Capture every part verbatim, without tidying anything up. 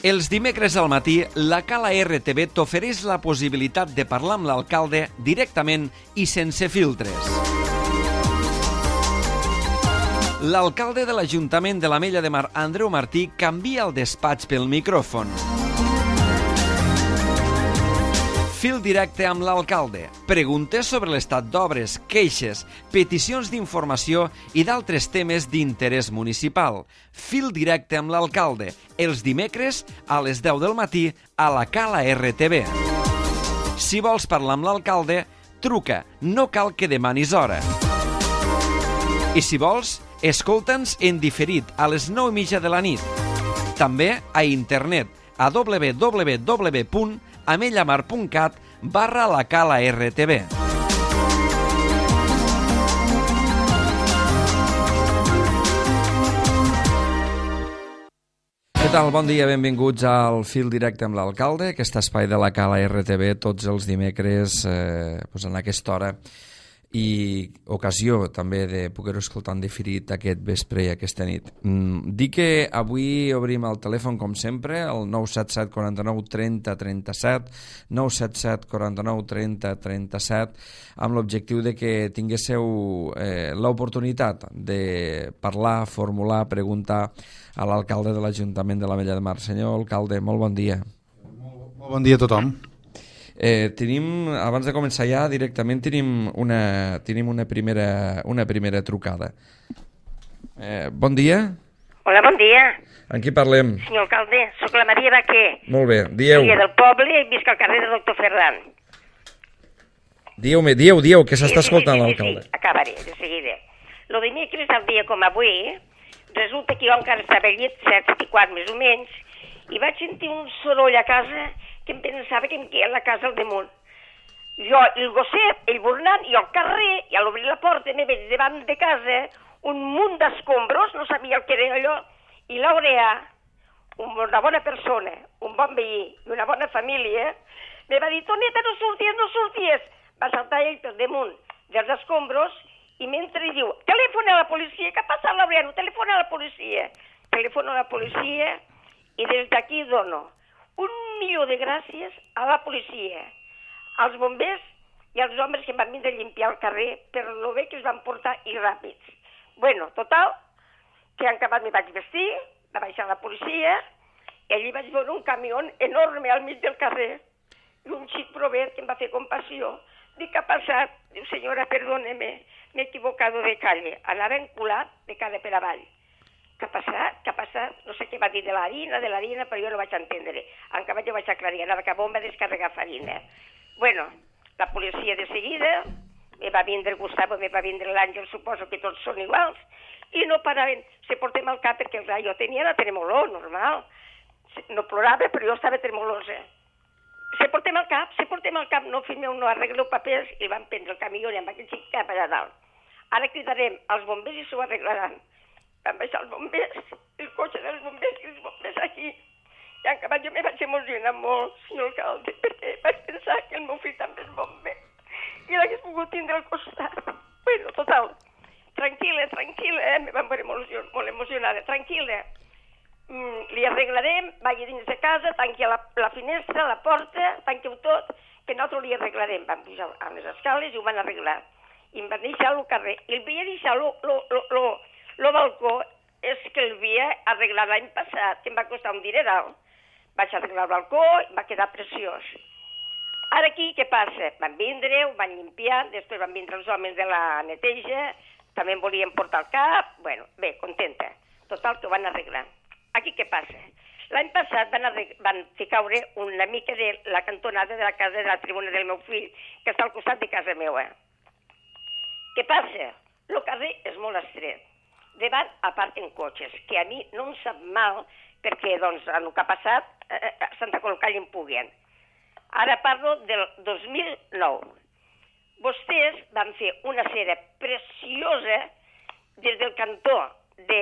Els dimecres al matí, la Cala R T V t'ofereix la possibilitat de parlar amb l'alcalde directament i sense filtres. L'alcalde de l'Ajuntament de l'Ametlla de Mar, Andreu Martí, canvia el despatx pel micròfon. Fil directe amb l'alcalde. Preguntes sobre l'estat d'obres, queixes, peticions d'informació i d'altres temes d'interès municipal. Fil directe amb l'alcalde. Els dimecres a les deu del matí a la Cala R T V. Si vols parlar amb l'alcalde, truca. No cal que demanis hora. I si vols, escolta'ns en diferit a les nou i mitja de la nit. També a internet a w w w punt amellamar punt cat barra la Cala R T V. Què tal? Bon dia, benvinguts al Fil Directe amb l'alcalde, aquest espai de la Cala R T V tots els dimecres eh, doncs en aquesta hora, i ocasió també de poder-ho escoltar en diferit aquest vespre i aquesta nit. Mm, dic que avui obrim el telèfon com sempre, el nou set set quaranta-nou trenta trenta-set, nou set set quaranta-nou trenta trenta-set, amb l'objectiu de que tinguéssiu eh, l'oportunitat de parlar, formular, preguntar a l'alcalde de l'Ajuntament de l'Ametlla de Mar. Senyor alcalde, molt bon dia. Molt, molt bon dia a tothom. Eh, tenim, abans de començar ja, directament tenim una, tenim una, primera, una primera trucada. Eh, bon dia. Hola, bon dia. En qui parlem? Senyor alcalde, sóc la Maria Baquer. Molt bé, dieu. Maria del poble i visc al carrer de Doctor Ferran. Dieu-me, dieu, dieu, que s'està sí, escoltant sí, sí, l'alcalde. Sí, sí, acabaré, de seguida. Lo dimecres al dia com avui, resulta que jo encara estava al llit, set i quart més o menys, i vaig sentir un soroll a casa que em pensava que em queia a la casa al damunt. Jo, el gosset, el burnant, i al carrer, i a l'obrir la porta me veig davant de casa un munt d'escombros, no sabia el que era allò, i l'Aurea, una bona persona, un bon veí i una bona família, me va dir, Toneta, no sorties, no sorties. Va saltar ell per damunt dels escombros i mentre diu, telefona a la policia, què ha passat l'Aurea? No, telefona a la policia. Telefona a la policia i des d'aquí dono un milió de gràcies a la policia, als bombers i als homes que em van vindre a limpiar el carrer per lo bé que es van portar i ràpids. Bueno, total, que en acabat me vaig vestir, va baixar la policia, i allí vaig veure un camió enorme al mig del carrer, i un xic provet que em va fer compassió. Dic, què ha passat? Diu, senyora, perdóneme, m'he equivocado de calle, anava enculat de cara per avall. Què ha passat? Què ha passat? No sé què va dir de l'harina, de l'harina, però jo no vaig entendre. En acabat jo vaig aclarir, anava cap on va descarregar farina. Bueno, la policia de seguida, me va vindre Gustavo, me va vindre l'Àngel, suposo que tots són iguals, i no paraven, se portem al cap perquè clar, jo tenia la tremolor, normal. No plorava, però jo estava tremolosa. Se portem al cap, se portem al cap, no, fill meu, no arregleu papers, i van prendre el camió i amb aquell xic cap allà dalt. Ara cridarem als bombers i s'ho arreglaran. Van baixar els bombers, el cotxe dels bombers i els bombers aquí. I en acabat jo me vaig emocionar molt, senyor alcalde, perquè vaig pensar que el meu fill també és bomber i l'hagués pogut tindre al costat. Bueno, total, tranquil·la, tranquil·la, eh? Me van veure molt, molt emocionada. Tranquil·la, mm, li arreglarem, vagi dins de casa, tanqui la, la finestra, la porta, tanqueu tot, que nosaltres li arreglarem. Van pujar a les escales i ho van arreglar. I em van deixar al carrer. I el havia deixat lo, lo, lo, lo, lo balcó, és que el havia arreglat l'any passat, que em va costar un dineral. Vaig arreglar el balcó i va quedar preciós. Ara aquí, què passa? Van vindre, ho van limpiar, després van vindre els homes de la neteja, també em volien portar el cap, bueno, bé, contenta. Total, que ho van arreglar. Aquí què passa? L'any passat van, van fer caure una mica de la cantonada de la casa de la tribuna del meu fill, que està al costat de casa meva. Què passa? El carrer és molt estret. Davant aparquen cotxes, que a mi no em sap mal, perquè doncs, en el que ha passat, eh, a Santa Colcall en puguen. Ara parlo del dos mil nou. Vostès van fer una cera preciosa des del cantó de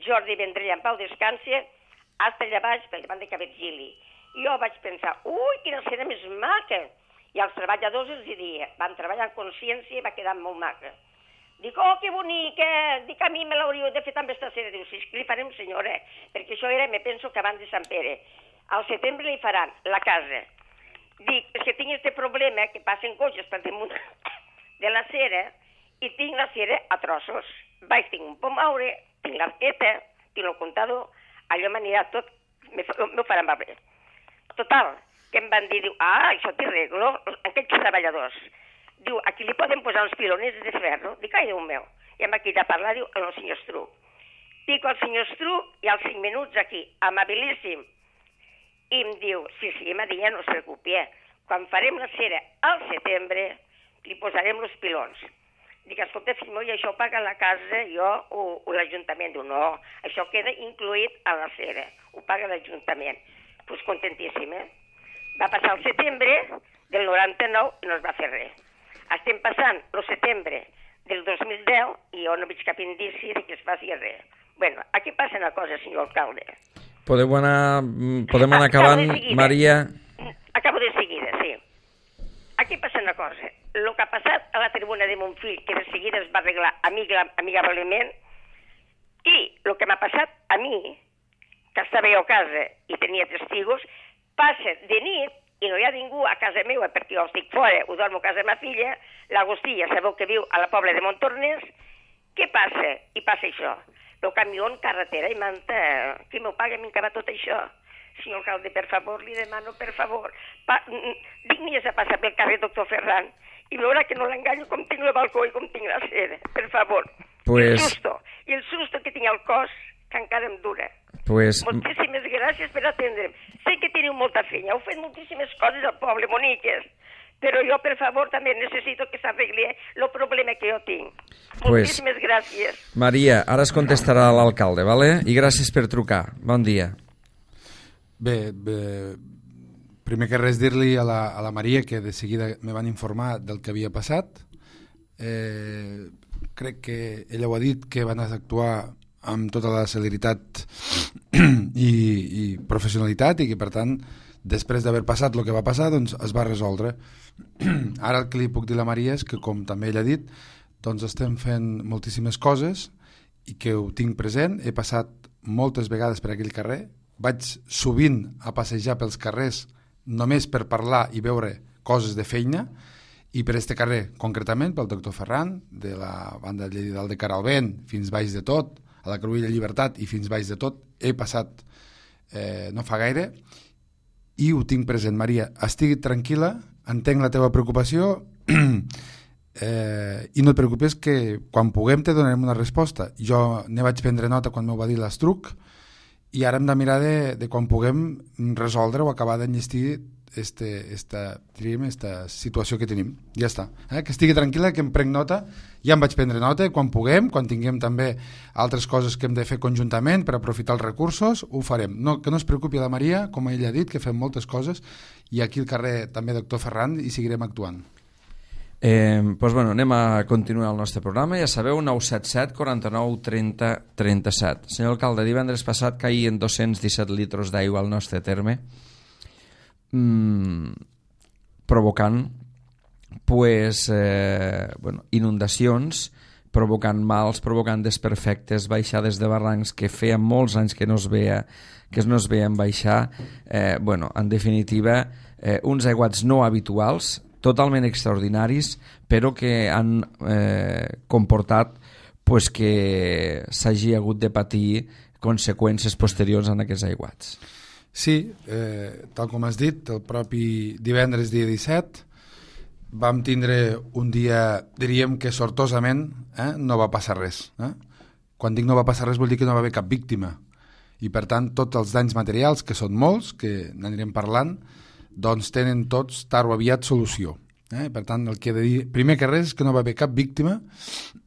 Jordi Vendrell en Pau Descanse fins allà baix, per davant de Cabetzili. I jo vaig pensar, ui, quina cera més maca! I als treballadors els diria, van treballar en consciència i va quedar molt maca. Dic, oh, que bonica, dic, a mi me l'hauríeu de fer també esta cera. Diu, sí, que li farem, senyora, perquè això era, me penso que abans de Sant Pere. Al setembre li faran la casa. Dic, és que tinc este problema, que passen cotxes per damunt de la cera, i tinc la cera a trossos. Vaig, tinc un pomaure, tinc l'arqueta, tinc el comptador, allò m'anirà tot, m'ho faran va bé. Total, que em van dir, diu, ah, això t'hi arreglo, aquests treballadors. Diu, aquí li poden posar uns piloners de ferro. Dic, ai, Déu meu. I em va quitar a parlar, diu, al senyor Estruc. Dic al senyor Estruc i als cinc minuts aquí, amabilíssim. I em diu, sí, sí, m'ha dit, ja no es preocupi, eh? Quan farem la cera al setembre, li posarem els pilons. Dic, escolta, fill meu, i això paga la casa, jo o, o l'Ajuntament? Diu, no, això queda incluït a la cera, ho paga l'Ajuntament. Doncs pues contentíssim, eh? Va passar el setembre del noranta-nou i no es va fer res. Estem passant el setembre del dos mil deu i jo no veig cap indici de que es faci res. Bueno, aquí passa una cosa, senyor alcalde. Podem anar, podem anar acabant, Maria? Acabo de seguida, sí. Aquí passa una cosa. El que ha passat a la tribuna de Montfill, que de seguida es va arreglar amigablement, i el que m'ha passat a mi, que estava jo a casa i tenia testigos, passa de nit i no hi ha ningú a casa meva perquè jo estic fora, ho dormo a casa de ma filla, l'Agustí ja sabeu que viu a la pobla de Montornès. Què passa? I passa això. El camió en carretera i manta, qui m'ho paga a mi acabar tot això? Senyor alcalde, per favor, li demano, per favor. Pa dignies a passar pel carrer Doctor Ferran i veurà que no l'enganyo com tinc el balcó i com tinc la cera, per favor. Pues... I el susto, i el susto que tinc al cos, que encara em dura. Pues... Moltíssimes gràcies per atendre'm. Sé que teniu molta feina, heu fet moltíssimes coses al poble, boniques, però jo, per favor, també necessito que s'arregli el problema que jo tinc. Pues... Moltíssimes gràcies. Maria, ara es contestarà l'alcalde, ¿vale? I gràcies per trucar. Bon dia. Bé, bé primer que res dir-li a, la, a la Maria que de seguida me van informar del que havia passat. Eh, crec que ella ho ha dit, que van actuar amb tota la celeritat i, i professionalitat i que per tant després d'haver passat el que va passar doncs es va resoldre. Ara el que li puc dir a la Maria és que, com també ella ha dit, doncs estem fent moltíssimes coses i que ho tinc present. He passat moltes vegades per aquell carrer, vaig sovint a passejar pels carrers només per parlar i veure coses de feina, i per este carrer concretament, pel Doctor Ferran, de la banda de Lleida de Caralvent fins baix de tot, a la Cruïlla Llibertat i fins baix de tot, he passat eh, no fa gaire i ho tinc present. Maria, estigui tranquil·la, entenc la teva preocupació eh, i no et preocupes que quan puguem te donarem una resposta. Jo ne vaig prendre nota quan m'ho va dir l'Estruc i ara hem de mirar de, de quan puguem resoldre o acabar d'enllestir este, esta, diríem, esta situació que tenim. Ja està. Eh? Que estigui tranquil·la, que em prenc nota, ja em vaig prendre nota, quan puguem, quan tinguem també altres coses que hem de fer conjuntament per aprofitar els recursos, ho farem. No, que no es preocupi la Maria, com ella ha dit, que fem moltes coses, i aquí al carrer també Doctor Ferran hi seguirem actuant. Eh, doncs bueno, anem a continuar el nostre programa. Ja sabeu, nou set set, quaranta-nou, trenta, trenta-set. Senyor alcalde, divendres passat caïen dos-cents disset litres d'aigua al nostre terme, mm, provocant pues, eh, bueno, inundacions, provocant mals, provocant desperfectes, baixades de barrancs que feia molts anys que no es veia, que no es veien baixar. Eh, bueno, en definitiva, eh, uns aiguats no habituals, totalment extraordinaris, però que han eh, comportat pues, que s'hagi hagut de patir conseqüències posteriors en aquests aiguats. Sí, eh, tal com has dit, el propi divendres dia disset vam tindre un dia, diríem que sortosament eh, no va passar res. Eh? Quan dic no va passar res vol dir que no va haver cap víctima. I per tant tots els danys materials, que són molts, que n'anirem parlant, doncs tenen tots tard o aviat solució. Eh? Per tant, el que he de dir, primer que res, és que no va haver cap víctima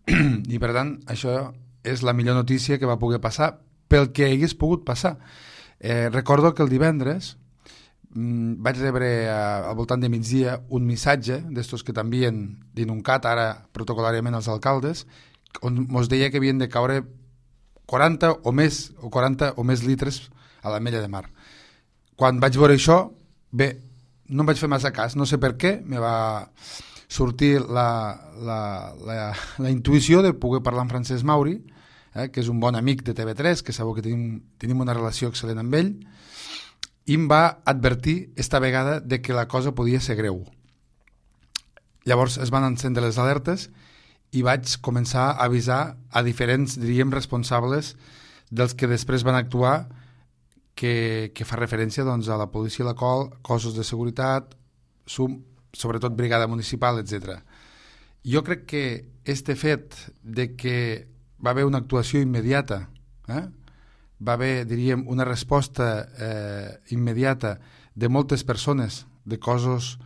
i per tant això és la millor notícia que va poder passar pel que hagués pogut passar. Eh, recordo que el divendres mmm, vaig rebre a, al voltant de migdia un missatge d'estos que t'envien d'Inuncat, ara protocolàriament els alcaldes, on mos deia que havien de caure quaranta o més o quaranta o més litres a l'Ametlla de Mar. Quan vaig veure això, bé, no em vaig fer massa cas, no sé per què, me va sortir la, la, la, la intuïció de poder parlar amb Francesc Mauri, eh, que és un bon amic de T V tres, que sabeu que tenim, tenim una relació excel·lent amb ell, i em va advertir esta vegada de que la cosa podia ser greu. Llavors es van encendre les alertes i vaig començar a avisar a diferents, diríem, responsables dels que després van actuar, que, que fa referència doncs, a la policia local, cossos de seguretat, sum, sobretot brigada municipal, etcètera. Jo crec que este fet de que va haver una actuació immediata, eh? va haver, diríem, una resposta eh, immediata de moltes persones, de cossos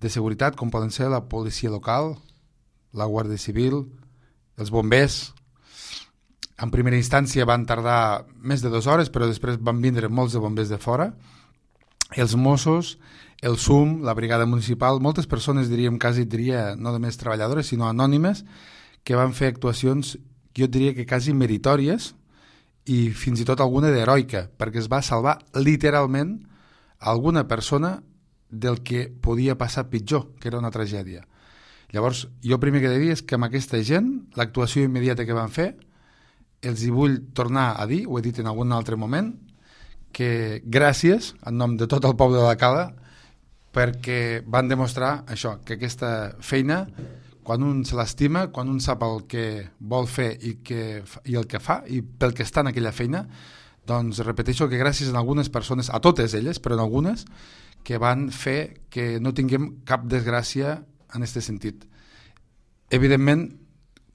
de seguretat, com poden ser la policia local, la Guàrdia Civil, els bombers. En primera instància van tardar més de dues hores, però després van vindre molts de bombers de fora, els Mossos, el S U M, la brigada municipal, moltes persones, diríem, quasi diria, no només treballadores, sinó anònimes, que van fer actuacions, jo diria que quasi meritòries, i fins i tot alguna d'heroica, perquè es va salvar literalment alguna persona del que podia passar pitjor, que era una tragèdia. Llavors, jo primer que he de dir és que amb aquesta gent, l'actuació immediata que van fer, els hi vull tornar a dir, ho he dit en algun altre moment, que gràcies, en nom de tot el poble de la Cala, perquè van demostrar això, que aquesta feina, quan un se l'estima, quan un sap el que vol fer i, que, i el que fa, i pel que està en aquella feina, doncs repeteixo que gràcies a algunes persones, a totes elles, però en algunes, que van fer que no tinguem cap desgràcia en aquest sentit. Evidentment,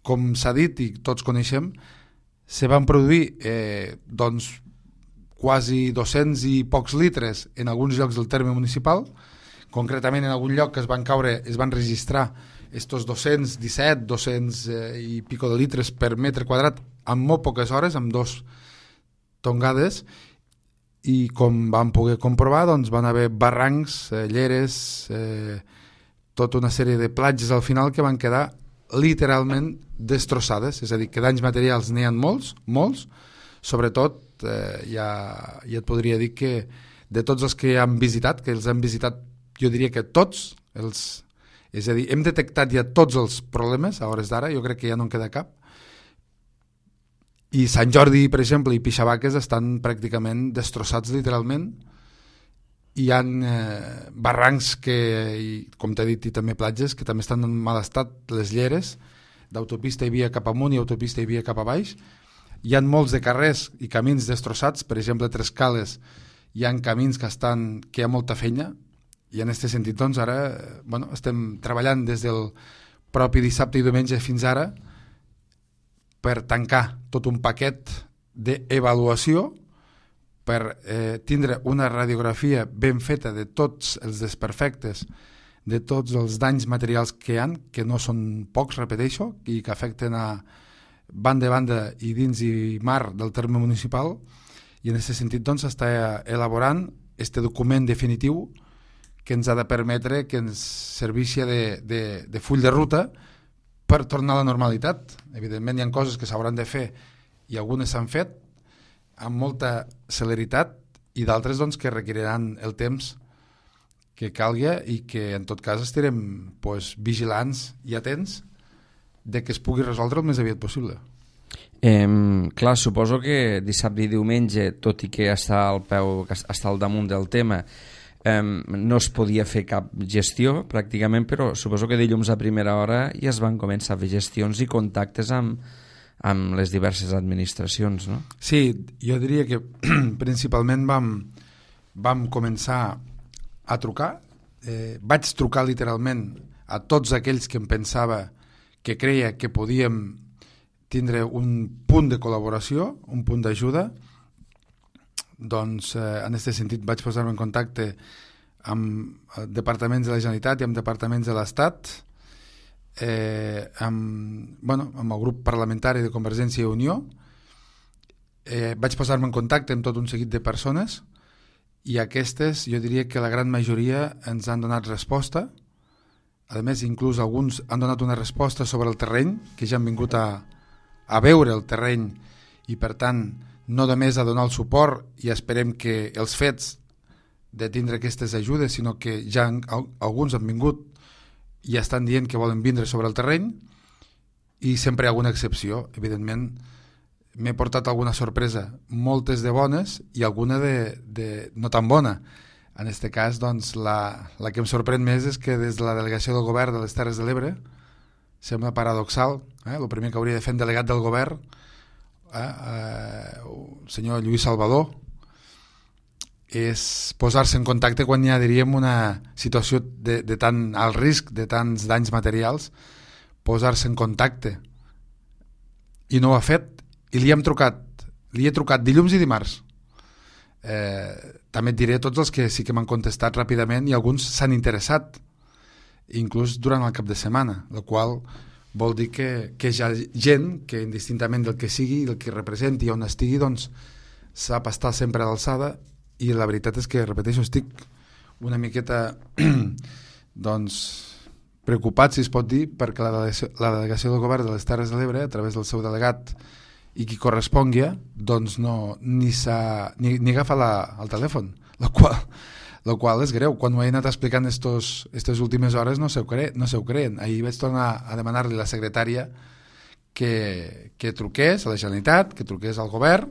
com s'ha dit i tots coneixem, se van produir eh, doncs, quasi dos-cents i pocs litres en alguns llocs del terme municipal, concretament en algun lloc que es van caure, es van registrar estos dos-cents disset, dos-cents eh, i pico de litres per metre quadrat en molt poques hores, amb dos tongades, i com vam poder comprovar, doncs van haver barrancs, eh, lleres, eh, tota una sèrie de platges al final que van quedar literalment destrossades, és a dir, que danys materials n'hi ha molts, molts, sobretot eh, ja, ja et podria dir que de tots els que han visitat, que els han visitat jo diria que tots, els, és a dir, hem detectat ja tots els problemes a hores d'ara, jo crec que ja no en queda cap, i Sant Jordi, per exemple, i Pixabaques estan pràcticament destrossats literalment. Hi ha eh, barrancs que, i, com t'he dit, i també platges, que també estan en mal estat, les lleres, d'autopista hi havia cap amunt i autopista hi havia cap a baix. Hi ha molts de carrers i camins destrossats, per exemple, a Trescales hi ha camins que estan, que hi ha molta feina, i en aquest sentit, doncs, ara bueno, estem treballant des del propi dissabte i diumenge fins ara per tancar tot un paquet d'avaluació, per eh, tindre una radiografia ben feta de tots els desperfectes, de tots els danys materials que hi ha, que no són pocs, repeteixo, i que afecten a banda a banda i dins i mar del terme municipal, i en aquest sentit doncs està elaborant este document definitiu que ens ha de permetre que ens serveixi de, de, de full de ruta per tornar a la normalitat. Evidentment hi ha coses que s'hauran de fer i algunes s'han fet amb molta celeritat i d'altres doncs, que requeriran el temps que calgui i que en tot cas estarem pues, vigilants i atents de que es pugui resoldre el més aviat possible. Eh, clar, suposo que dissabte i diumenge, tot i que està al peu, que està al damunt del tema, eh, no es podia fer cap gestió pràcticament, però suposo que dilluns a primera hora ja es van començar a fer gestions i contactes amb, amb les diverses administracions, no? Sí, jo diria que principalment vam, vam començar a trucar. Eh, vaig trucar literalment a tots aquells que em pensava que creia que podíem tindre un punt de col·laboració, un punt d'ajuda. Doncs eh, en aquest sentit vaig posar-me en contacte amb departaments de la Generalitat i amb departaments de l'Estat, eh, amb, bueno, amb el grup parlamentari de Convergència i Unió. Eh, vaig posar-me en contacte amb tot un seguit de persones i aquestes, jo diria que la gran majoria ens han donat resposta. A més, inclús alguns han donat una resposta sobre el terreny, que ja han vingut a, a veure el terreny i, per tant, no només a donar el suport i esperem que els fets de tindre aquestes ajudes, sinó que ja han, alguns han vingut ja estan dient que volen vindre sobre el terreny i sempre hi ha alguna excepció. Evidentment, m'he portat alguna sorpresa, moltes de bones i alguna de, de no tan bona. En aquest cas, doncs, la, la que em sorprèn més és que des de la delegació del govern de les Terres de l'Ebre, sembla paradoxal, eh? el primer que hauria de fer un delegat del govern, eh? Eh, el senyor Lluís Salvador, és posar-se en contacte quan hi ha, diríem, una situació de, de tant alt risc, de tants danys materials, posar-se en contacte. I no ho ha fet. I li hem trucat, li he trucat dilluns i dimarts. Eh, també et diré tots els que sí que m'han contestat ràpidament i alguns s'han interessat, inclús durant el cap de setmana, el qual vol dir que, que hi ha gent que indistintament del que sigui, del que representi on estigui, doncs sap estar sempre a l'alçada. I la veritat és que, repeteixo, estic una miqueta doncs preocupat, si es pot dir, perquè la delegació, la delegació del govern de les Terres de l'Ebre, a través del seu delegat i qui correspongui, doncs no, ni, ni, ni agafa la, el telèfon, la qual, la qual és greu. Quan ho he anat explicant aquestes últimes hores no se ho, cre, no se ho creen. Ahir vaig tornar a demanar-li a la secretària que, que truqués a la Generalitat, que truqués al govern,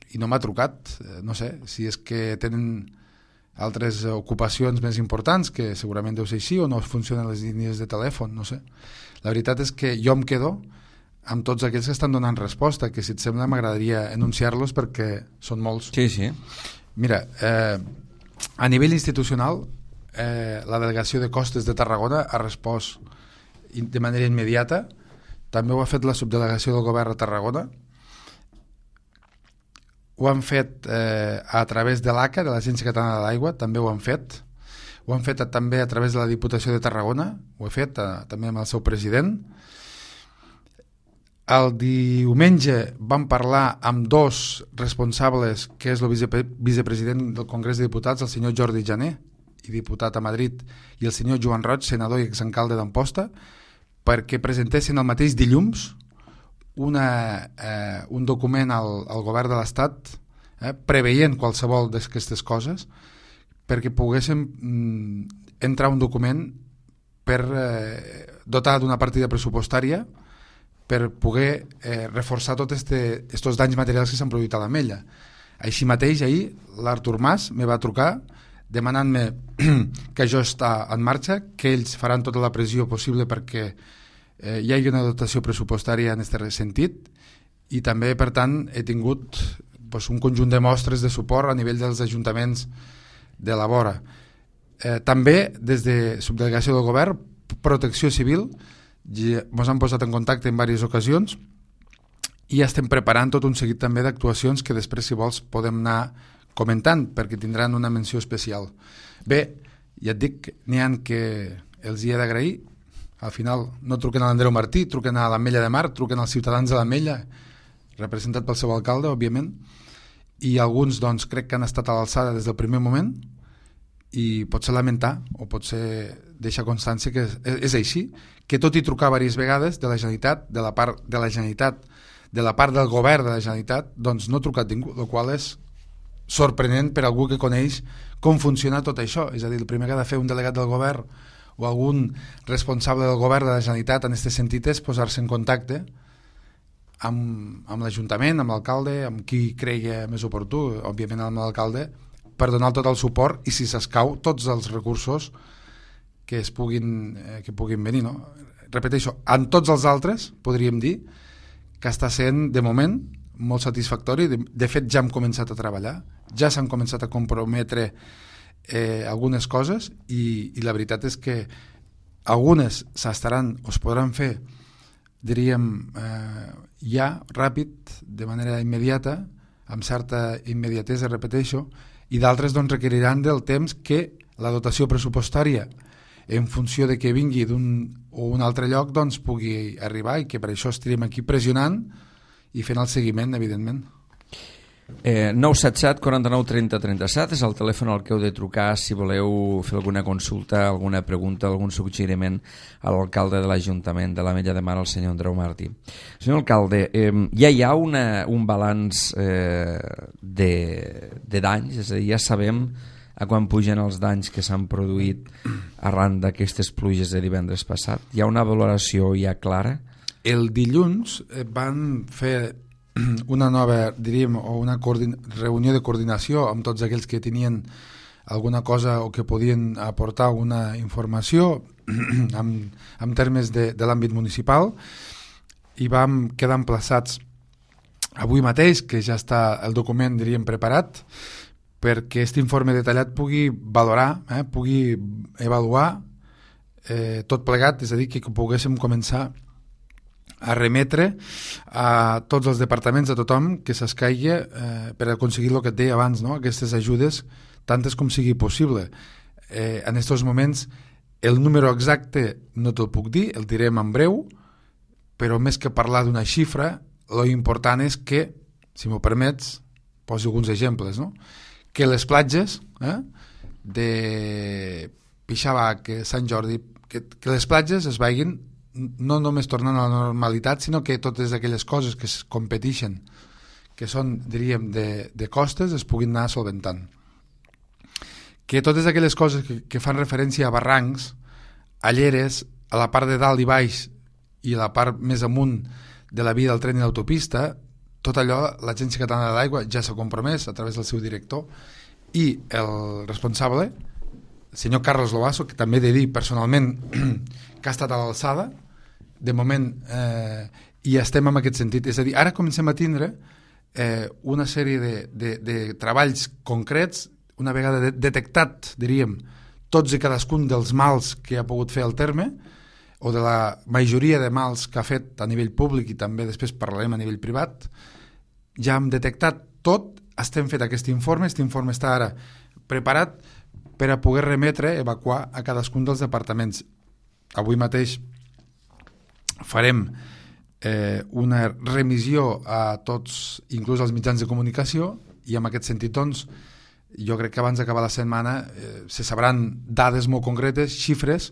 i no m'ha trucat. No sé si és que tenen altres ocupacions més importants, que segurament deu ser així, o no funcionen les línies de telèfon, no sé. La veritat és que jo em quedo amb tots aquells que estan donant resposta, que si et sembla m'agradaria enunciar-los perquè són molts. Sí, sí. Mira, eh, a nivell institucional, eh, la delegació de Costes de Tarragona ha respost de manera immediata, també ho ha fet la subdelegació del govern a Tarragona, ho han fet eh, a través de l'A C A, de l'Agència Catalana de l'Aigua, també ho han fet, ho han fet a, també a través de la Diputació de Tarragona, ho he fet a, també amb el seu president. El diumenge vam parlar amb dos responsables, que és el vicepre vicepresident del Congrés de Diputats, el senyor Jordi Jané, i diputat a Madrid, i el senyor Joan Roig, senador i exalcalde d'Amposta, perquè presentessin el mateix dilluns una, eh, un document al, al govern de l'Estat eh, preveient qualsevol d'aquestes coses, perquè poguéssim mm, entrar un document per eh, dotar d'una partida pressupostària per poder eh, reforçar tots este, estos danys materials que s'han produït a l'Ametlla. Així mateix, ahir, l'Artur Mas me va trucar demanant-me que això està en marxa, que ells faran tota la pressió possible perquè eh, hi hagi una dotació pressupostària en aquest sentit, i també, per tant, he tingut pues, un conjunt de mostres de suport a nivell dels ajuntaments de la vora. Eh, també, des de subdelegació del govern, Protecció Civil, ens han posat en contacte en diverses ocasions i estem preparant tot un seguit també d'actuacions que després, si vols, podem anar comentant perquè tindran una menció especial. Bé, ja et dic, n'hi ha que els hi he d'agrair. Al final no truquen a l'Andreu Martí, truquen a l'Ametlla de Mar, truquen als ciutadans de l'Ametlla, representat pel seu alcalde, òbviament, i alguns doncs crec que han estat a l'alçada des del primer moment, i pot ser lamentar o pot ser deixar constància que és, és així, que tot i trucar diverses vegades de la Generalitat, de la part de la Generalitat, de la part del govern de la Generalitat, doncs no ha trucat ningú, el qual és sorprenent per algú que coneix com funciona tot això. És a dir, el primer que ha de fer un delegat del govern o algun responsable del govern de la Generalitat en aquest sentit és posar-se en contacte amb, amb l'Ajuntament, amb l'alcalde, amb qui cregui més oportú, òbviament amb l'alcalde, per donar tot el suport i, si s'escau, tots els recursos que es puguin, eh, que puguin venir, no? Repeteixo, en tots els altres podríem dir que està sent, de moment, molt satisfactori. De, de fet, ja hem començat a treballar, ja s'han començat a comprometre eh, algunes coses i, i la veritat és que algunes s'estaran o es podran fer, diríem, eh, ja, ràpid, de manera immediata, amb certa immediatesa, repeteixo, i d'altres doncs, requeriran del temps que la dotació pressupostària, en funció de que vingui d'un o un altre lloc, doncs pugui arribar, i que per això estarem aquí pressionant i fent el seguiment, evidentment. Eh, nou set set, quaranta-nou, trenta, trenta-set és el telèfon al que heu de trucar si voleu fer alguna consulta, alguna pregunta, algun suggeriment a l'alcalde de l'Ajuntament de l'Ametlla de Mar, el senyor Andreu Martí. Senyor alcalde, eh, ja hi ha una, un balanç eh, de, de danys, és a dir, ja sabem a quan pugen els danys que s'han produït arran d'aquestes pluges de divendres passat? Hi ha una valoració ja clara? El dilluns van fer una nova, diríem, o una reunió de coordinació amb tots aquells que tenien alguna cosa o que podien aportar una informació en, en termes de, de l'àmbit municipal, i vam quedar emplaçats avui mateix, que ja està el document, diríem, preparat, perquè aquest informe detallat pugui valorar, eh, pugui avaluar eh, tot plegat, és a dir, que poguéssim començar a remetre a tots els departaments, a tothom que s'escaigui eh, per aconseguir el que et deia abans, no? Aquestes ajudes, tantes com sigui possible. Eh, en aquests moments el número exacte no te'l puc dir, el direm en breu, però més que parlar d'una xifra, lo important és que, si m'ho permets, poso alguns exemples, no? Que les platges eh, de Pixabac, Sant Jordi, que, que les platges es vagin no només tornant a la normalitat, sinó que totes aquelles coses que es competeixen, que són, diríem, de, de costes, es puguin anar solventant. Que totes aquelles coses que, que fan referència a barrancs, a lleres, a la part de dalt i baix i a la part més amunt de la via del tren i l'autopista, tot allò l'Agència Catalana de l'Aigua ja s'ha compromès a través del seu director, i el responsable, el senyor Carlos Lobasso, que també he de dir personalment que ha estat a l'alçada, de moment, eh, i estem en aquest sentit. És a dir, ara comencem a tindre eh, una sèrie de, de, de treballs concrets, una vegada de, detectat, diríem, tots i cadascun dels mals que ha pogut fer el terme, o de la majoria de mals que ha fet a nivell públic, i també després parlarem a nivell privat, ja hem detectat tot, estem fet aquest informe, aquest informe està ara preparat per a poder remetre, evacuar a cadascun dels departaments. Avui mateix farem eh, una remissió a tots, inclús als mitjans de comunicació, i en aquest sentit, doncs, jo crec que abans d'acabar la setmana eh, se sabran dades molt concretes, xifres,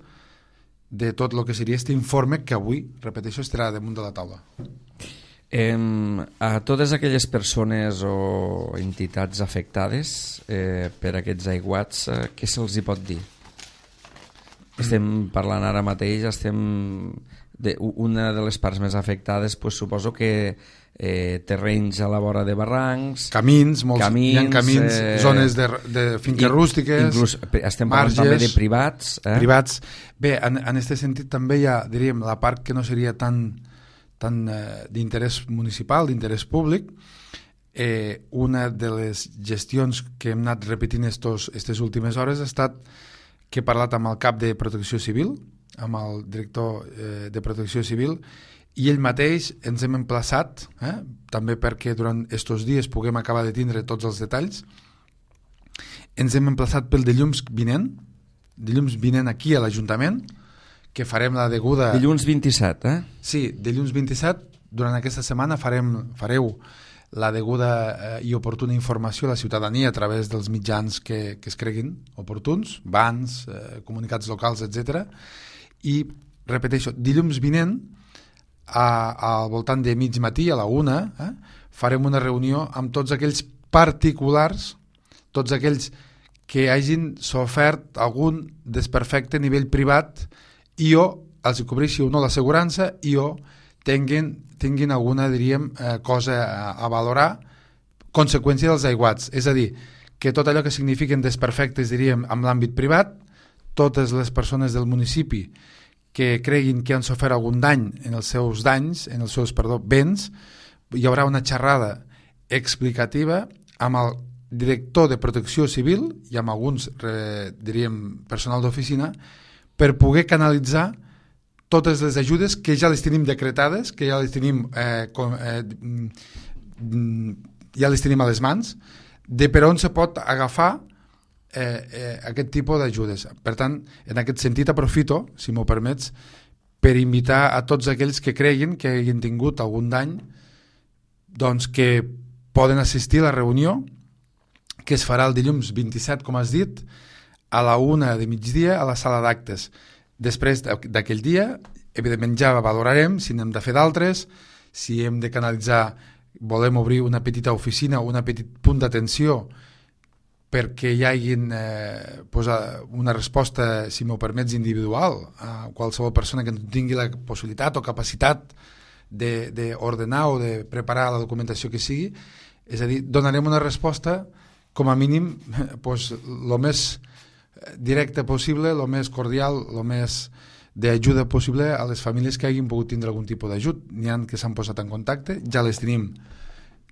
de tot el que seria aquest informe que avui, repeteixo, estarà damunt de la taula. Eh, a totes aquelles persones o entitats afectades eh, per aquests aiguats, eh, què se'ls hi pot dir? Estem parlant ara mateix, estem de, una de les parts més afectades, pues, suposo que eh, terrenys a la vora de barrancs, camins, molts, camins, hi ha camins, eh, zones de, de finques i, rústiques, inclús estem parlant marges, també de privats. Eh? Privats. Bé, en, en aquest sentit també hi ha, diríem, la part que no seria tan, tan eh, d'interès municipal, d'interès públic. Eh, una de les gestions que hem anat repetint aquestes últimes hores ha estat que he parlat amb el cap de Protecció Civil, amb el director eh, de Protecció Civil, i ell mateix ens hem emplaçat, eh, també perquè durant aquests dies puguem acabar de tindre tots els detalls, ens hem emplaçat pel dilluns vinent, dilluns vinent aquí a l'Ajuntament, que farem la deguda... Dilluns vint-i-set, eh? Sí, dilluns vint-i-set, durant aquesta setmana farem, fareu la deguda eh, i oportuna informació a la ciutadania a través dels mitjans que, que es creguin oportuns, bans, eh, comunicats locals, etcètera. I, repeteixo, dilluns vinent, a, al voltant de mig matí, a la una, eh, farem una reunió amb tots aquells particulars, tots aquells que hagin sofert algun desperfecte a nivell privat i o els cobreixi o no l'assegurança i o tinguin, tinguin alguna, diríem, eh, cosa a, a valorar, conseqüència dels aiguats. És a dir, que tot allò que signifiquen desperfectes, diríem, en l'àmbit privat, totes les persones del municipi que creguin que han sofert algun dany en els seus danys, en els seus, perdó, béns, hi haurà una xerrada explicativa amb el director de Protecció Civil i amb alguns, eh, diríem, personal d'oficina, per poder canalitzar totes les ajudes que ja les tenim decretades, que ja les tenim eh, com, eh, ja les tenim a les mans, de per on se pot agafar eh, eh, aquest tipus d'ajudes. Per tant, en aquest sentit aprofito, si m'ho permets, per invitar a tots aquells que creguin que hagin tingut algun dany, doncs que poden assistir a la reunió que es farà el dilluns vint-i-set, com has dit, a la una de migdia a la sala d'actes. Després d'aquell dia, evidentment ja valorarem si n'hem de fer d'altres, si hem de canalitzar, volem obrir una petita oficina o un petit punt d'atenció perquè hi hagi eh, pues, una resposta, si m'ho permets, individual a qualsevol persona que tingui la possibilitat o capacitat d'ordenar o de preparar la documentació que sigui. És a dir, donarem una resposta com a mínim pues, lo més directe possible, lo més cordial, lo més d'ajuda possible a les famílies que hagin pogut tindre algun tipus d'ajut. N'hi ha que s'han posat en contacte, ja les tenim,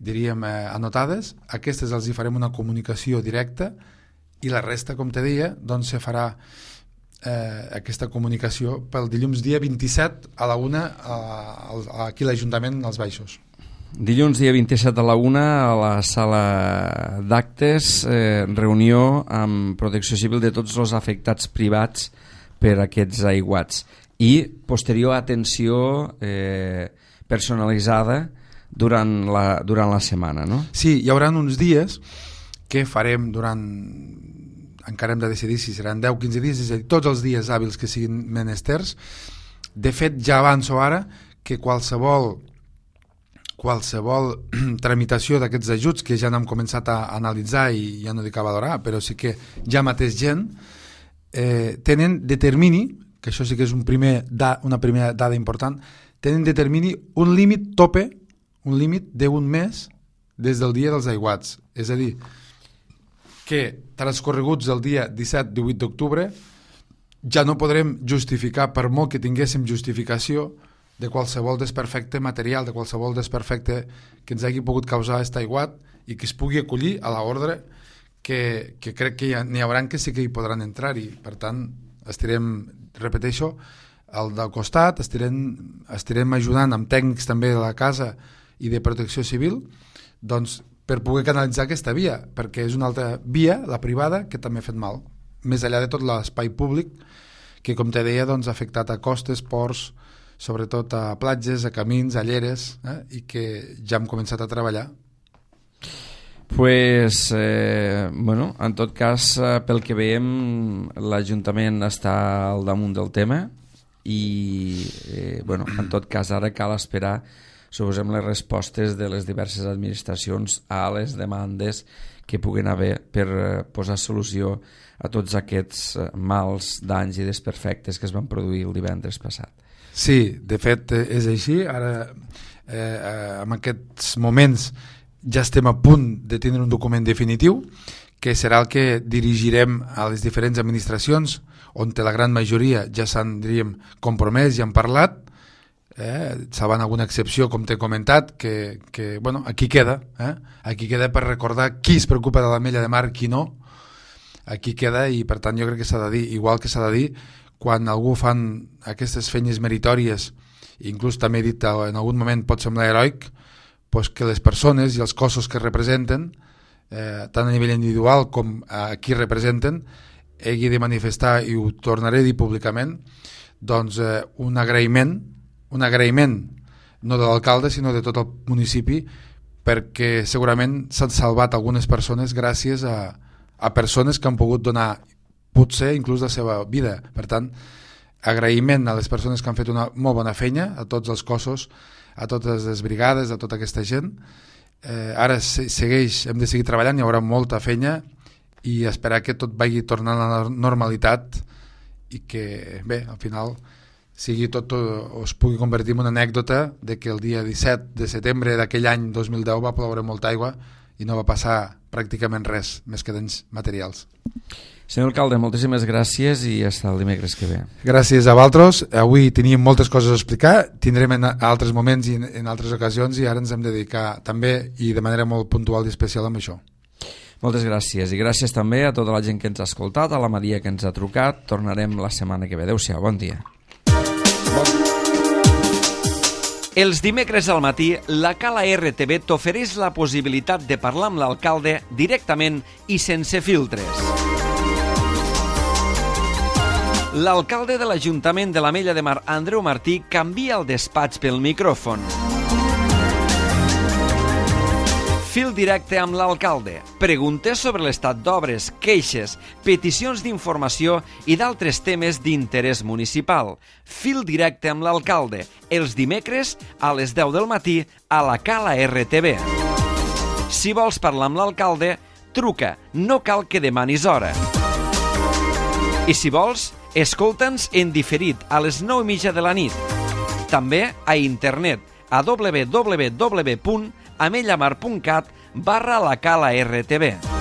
diríem, eh, anotades. Aquestes els hi farem una comunicació directa i la resta, com te deia, doncs se farà eh, aquesta comunicació pel dilluns dia vint-i-set a la una a, a, aquí a l'Ajuntament als Baixos. Dilluns dia vint-i-set a la una a la sala d'actes, eh, reunió amb Protecció Civil de tots els afectats privats per aquests aiguats i posterior atenció eh, personalitzada durant la, durant la setmana, no? Sí, hi haurà uns dies que farem durant, encara hem de decidir si seran deu o quinze dies, és a dir, tots els dies hàbils que siguin menesters. De fet, ja avanço ara que qualsevol qualsevol tramitació d'aquests ajuts que ja n'hem començat a analitzar i ja no dic a valorar, però sí que ja mateix gent eh, tenen de termini, que això sí que és un primer da, una primera dada important, tenen de termini un límit tope, un límit d'un mes des del dia dels aiguats. És a dir, que transcorreguts el dia disset divuit d'octubre ja no podrem justificar, per molt que tinguéssim justificació, de qualsevol desperfecte material, de qualsevol desperfecte que ens hagi pogut causar aquest aiguat i que es pugui acollir a l'ordre que, que crec que n'hi haurà que sí que hi podran entrar-hi. Per tant, estirem, repeteixo, al del costat, estirem, estirem ajudant amb tècnics també de la casa i de protecció civil, doncs, per poder canalitzar aquesta via, perquè és una altra via, la privada, que també ha fet mal, més enllà de tot l'espai públic, que, com te deia, doncs, ha afectat a costes, ports, sobretot a platges, a camins, a lleres, eh, i que ja hem començat a treballar. Pues, eh, bueno, en tot cas, eh, pel que veiem, l'Ajuntament està al damunt del tema i, eh, bueno, en tot cas, ara cal esperar, suposem, les respostes de les diverses administracions a les demandes que puguen haver per eh, posar solució a tots aquests eh, mals, danys i desperfectes que es van produir el divendres passat. Sí, de fet és així. Ara, eh, en aquests moments, ja estem a punt de tenir un document definitiu que serà el que dirigirem a les diferents administracions, on la gran majoria ja s'han, diríem, compromès i han parlat, eh, salvant alguna excepció, com t'he comentat, que, que bueno, aquí queda, eh? Aquí queda per recordar qui es preocupa de l'Ametlla de Mar, qui no. Aquí queda i, per tant, jo crec que s'ha de dir, igual que s'ha de dir, quan algú fan aquestes feines meritòries, inclús també he dit en algun moment pot semblar heroic, doncs que les persones i els cossos que representen, eh, tant a nivell individual com a qui representen, hagi de manifestar, i ho tornaré a dir públicament, doncs eh, un agraïment, un agraïment no de l'alcalde sinó de tot el municipi, perquè segurament s'han salvat algunes persones gràcies a, a persones que han pogut donar potser inclús la seva vida. Per tant, agraïment a les persones que han fet una molt bona feina, a tots els cossos, a totes les brigades, a tota aquesta gent. Eh, ara segueix, hem de seguir treballant, hi haurà molta feina i esperar que tot vagi tornant a la normalitat i que, bé, al final sigui tot, o es pugui convertir en una anècdota de que el dia disset de setembre d'aquell any dos mil deu va ploure molta aigua i no va passar pràcticament res, més que danys materials. Senyor alcalde, moltíssimes gràcies i fins el dimecres que ve. Gràcies a vosaltres. Avui teníem moltes coses a explicar, tindrem en altres moments i en altres ocasions i ara ens hem de dedicar també i de manera molt puntual i especial amb això. Moltes gràcies i gràcies també a tota la gent que ens ha escoltat, a la Maria que ens ha trucat. Tornarem la setmana que ve. Adéu-siau, bon dia. Els dimecres al matí, la Cala R T V t'ofereix la possibilitat de parlar amb l'alcalde directament i sense filtres. L'alcalde de l'Ajuntament de l'Ametlla de Mar, Andreu Martí, canvia el despatx pel micròfon. Fil directe amb l'alcalde. Preguntes sobre l'estat d'obres, queixes, peticions d'informació i d'altres temes d'interès municipal. Fil directe amb l'alcalde. Els dimecres a les deu del matí a la Cala R T V. Si vols parlar amb l'alcalde, Truca, no cal que demanis hora. I si vols, escolta'ns en diferit a les nou i mitja de la nit. També a internet a w w w punt amellamar punt cat barra la cala R T V.